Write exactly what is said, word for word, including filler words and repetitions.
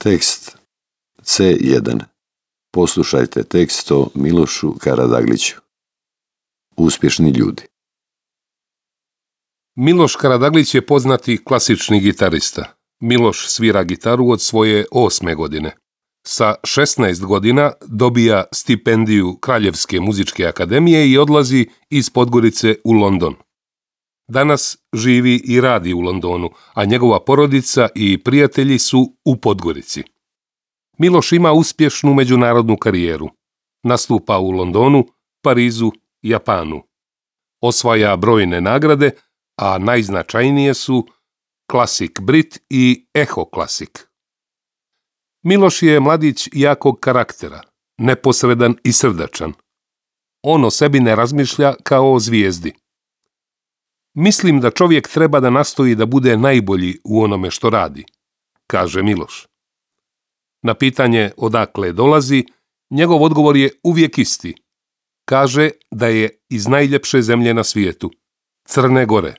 Tekst C jedan. Poslušajte tekst o Milošu Karadagliću. Uspješni ljudi. Miloš Karadaglić je poznati klasični gitarista. Miloš svira gitaru od svoje osme godine. Sa šesnaest godina dobija stipendiju Kraljevske muzičke akademije i odlazi iz Podgorice u London. Danas živi i radi u Londonu, a njegova porodica i prijatelji su u Podgorici. Miloš ima uspješnu međunarodnu karijeru. Nastupa u Londonu, Parizu, Japanu. Osvaja brojne nagrade, a najznačajnije su Classic Brit i Echo Classic. Miloš je mladić jakog karaktera, neposredan i srdačan. On o sebi ne razmišlja kao o zvijezdi. Mislim da čovjek treba da nastoji da bude najbolji u onome što radi, kaže Miloš. Na pitanje odakle dolazi, njegov odgovor je uvijek isti. Kaže da je iz najljepše zemlje na svijetu, Crne Gore.